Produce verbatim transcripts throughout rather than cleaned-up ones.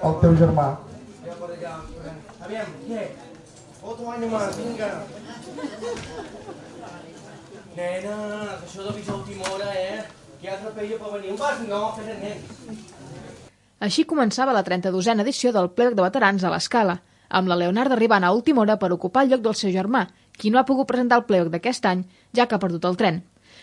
el teu germà. Aviam, què? Otro año más, vinga. Nena, això de visar a última hora, eh? Que altre paella per venir. Un vas? No, fes el nen. Així començava la trenta-dosena edició del Plegc de Veterans a l'Escala, amb la Leonarda arribant a última hora per ocupar el lloc del seu germà, qui no ha pogut presentar el Plegc d'aquest any, ja que ha perdut el tren.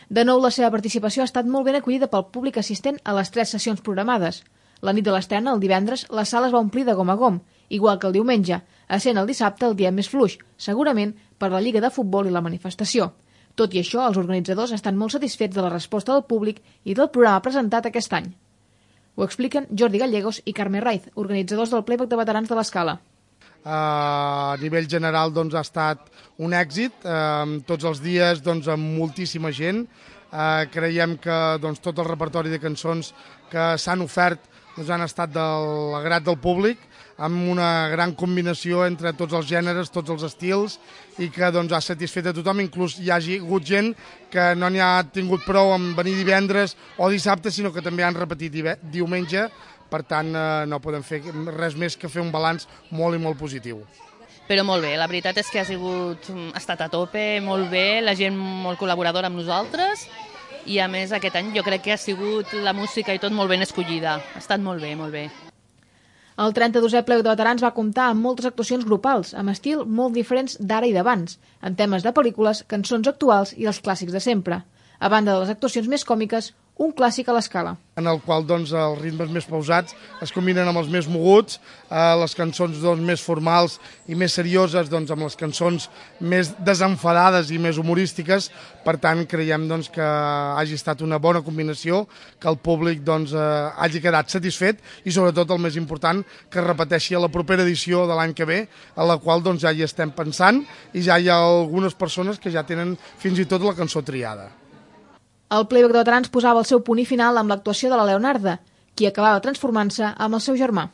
De nou, la seva participació ha estat molt ben acollida pel públic assistent a les tres sessions programades. La nit de l'estrena, el divendres, la sala es va omplir de gom a gom, igual que el diumenge, essent el dissabte el dia més fluix, segurament per la Lliga de Futbol i la manifestació. Tot i això, els organitzadors estan molt satisfets de la resposta del públic i del programa presentat aquest any. Ho expliquen Jordi Gallegos i Carme Raiz, organitzadors del Playback de Veterans de l'Escala. Uh, a nivell general doncs, ha estat un èxit, uh, tots els dies doncs, amb moltíssima gent. Uh, creiem que doncs, tot el repertori de cançons que s'han ofert doncs, han estat de l'agrat del públic, amb una gran combinació entre tots els gèneres, tots els estils, i que doncs, ha satisfet a tothom, inclús hi hagi hagut gent que no n'hi ha tingut prou en venir divendres o dissabte, sinó que també han repetit diumenge. Per tant, eh, no podem fer res més que fer un balanç molt i molt positiu. Però molt bé, la veritat és que ha sigut, ha estat a tope, molt bé, la gent molt col·laboradora amb nosaltres, i a més aquest any jo crec que ha sigut la música i tot molt ben escollida. Ha estat molt bé, molt bé. El trenta-dosè Plegc de Veterans va comptar amb moltes actuacions grupals, amb estil molt diferents d'ara i d'abans, en temes de pel·lícules, cançons actuals i els clàssics de sempre. A banda de les actuacions més còmiques, un clàssic a l'Escala. En el qual doncs, els ritmes més pausats es combinen amb els més moguts, eh, les cançons doncs, més formals i més serioses doncs, amb les cançons més desenfadades i més humorístiques. Per tant, creiem doncs, que hagi estat una bona combinació, que el públic doncs, eh, hagi quedat satisfet i sobretot el més important, que es repeteixi a la propera edició de l'any que ve, a la qual doncs, ja hi estem pensant i ja hi ha algunes persones que ja tenen fins i tot la cançó triada. El Playback de Veterans posava el seu punt i final amb l'actuació de la Leonarda, qui acabava transformant-se amb el seu germà.